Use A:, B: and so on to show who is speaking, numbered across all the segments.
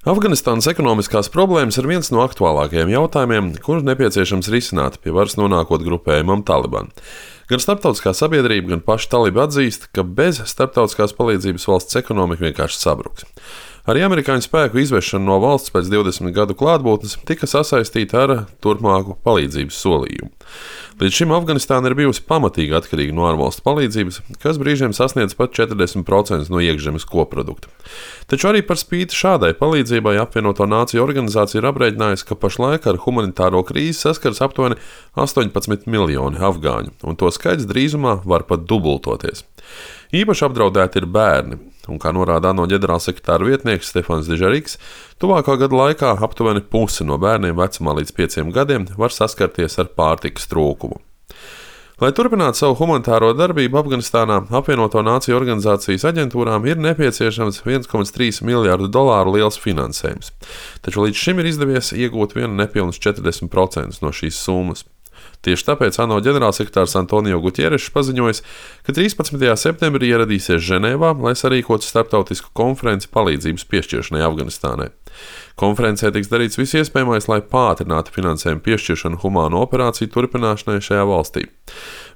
A: Afganistānas ekonomiskās problēmas ir viens no aktuālākajiem jautājumiem, kurus nepieciešams risināt pie varas nonākot grupējumam Taliban. Gan starptautiskā sabiedrība, gan paši talibi atzīst, ka bez starptautiskās palīdzības valsts ekonomika vienkārši sabruks. Arī amerikāņu spēku izvešana no valsts pēc 20 gadu klātbūtnes tika sasaistīta ar turpmāku palīdzības solījumu. Līdz šim Afganistāna ir bijusi pamatīgi atkarīga no ārvalstu palīdzības, kas brīžiem sasniedz pat 40% no iekšzemes koprodukta. Taču arī par spīti šādai palīdzībai apvienoto nāciju organizācija ir aprēķinājusi, ka pašlaik ar humanitāro krīzi saskars aptuveni 18 miljoni afgāņu, un to skaits drīzumā var pat dubultoties. Īpaši apdraudēti ir bērni, un, kā norāda ANO ģenerālsekretāra vietnieks Stefans Dujarrics, tuvākā gada laikā aptuveni puse no bērniem vecumā līdz 5 gadiem var saskarties ar pārtikas trūkumu. Lai turpinātu savu humanitāro darbību Afganistānā, apvienoto nāciju organizācijas aģentūrām ir nepieciešams $1,3 miljārdu liels finansējums, taču līdz šim ir izdevies iegūt vien nepilnus 40% no šīs summas. Tieši tāpēc ANO ģenerālsekretārs Antonio Gutierešs paziņojis, ka 13. septembrī ieradīsies Ženēvā, lai sarīkotu starptautisku konferenci palīdzības piešķiršanai Afganistānai. Konferencē tiks darīts viss iespējamais, lai pātrinātu finansējumu piešķiršanu humāno operāciju turpināšanai šajā valstī.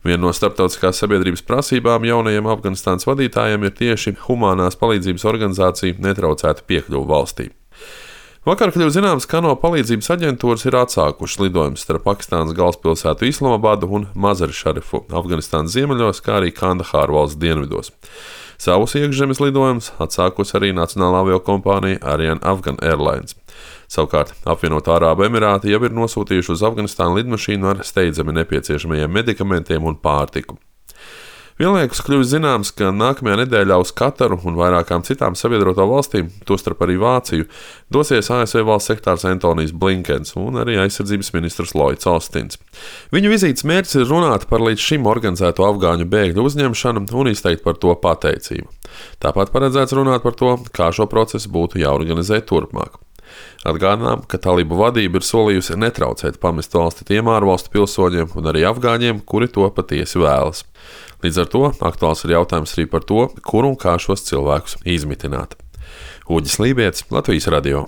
A: Viena no starptautiskās sabiedrības prasībām jaunajiem Afganistānas vadītājiem ir tieši humānās palīdzības organizācija netraucēta piekļuve valstī. Vakar kļuva zināms, ka ANO palīdzības aģentūras ir atsākušas lidojumus starp Pakistānas galvaspilsētu Islamabadu un Mazari Šarifu Afganistānas ziemeļos, kā arī Kandahāru valsts dienvidos. Savus iekšzemes lidojumus atsākusi arī nacionālā aviokompānija Ariane Afghan Airlines. Savukārt apvienotā Arābu Emirāti jau ir nosūtījuši uz Afganistānu lidmašīnu ar steidzami nepieciešamajiem medikamentiem un pārtiku. Vienlaikus kļuvis zināms, ka nākamajā nedēļā uz Kataru un vairākām citām sabiedroto valstīm, tostarp arī Vāciju, dosies ASV valsts sekretārs Antonijs Blinkens un arī aizsardzības ministrs Lloyds Austins. Viņu vizītes mērķis ir runāt par līdz šim organizēto afgāņu bēgļu uzņemšanu un izteikt par to pateicību. Tāpat paredzēts runāt par to, kā šo procesu būtu jāorganizē turpmāk. Atgādinām, ka talibu vadība ir solījusi netraucēt pamest valsti tiem ārvalstu pilsoņiem un arī afgāņiem, kuri to patiesi vēlas. Līdz ar to aktuāls ir jautājums arī par to, kur un kā šos cilvēkus izmitināt. Uģis Lībietis, Latvijas radio.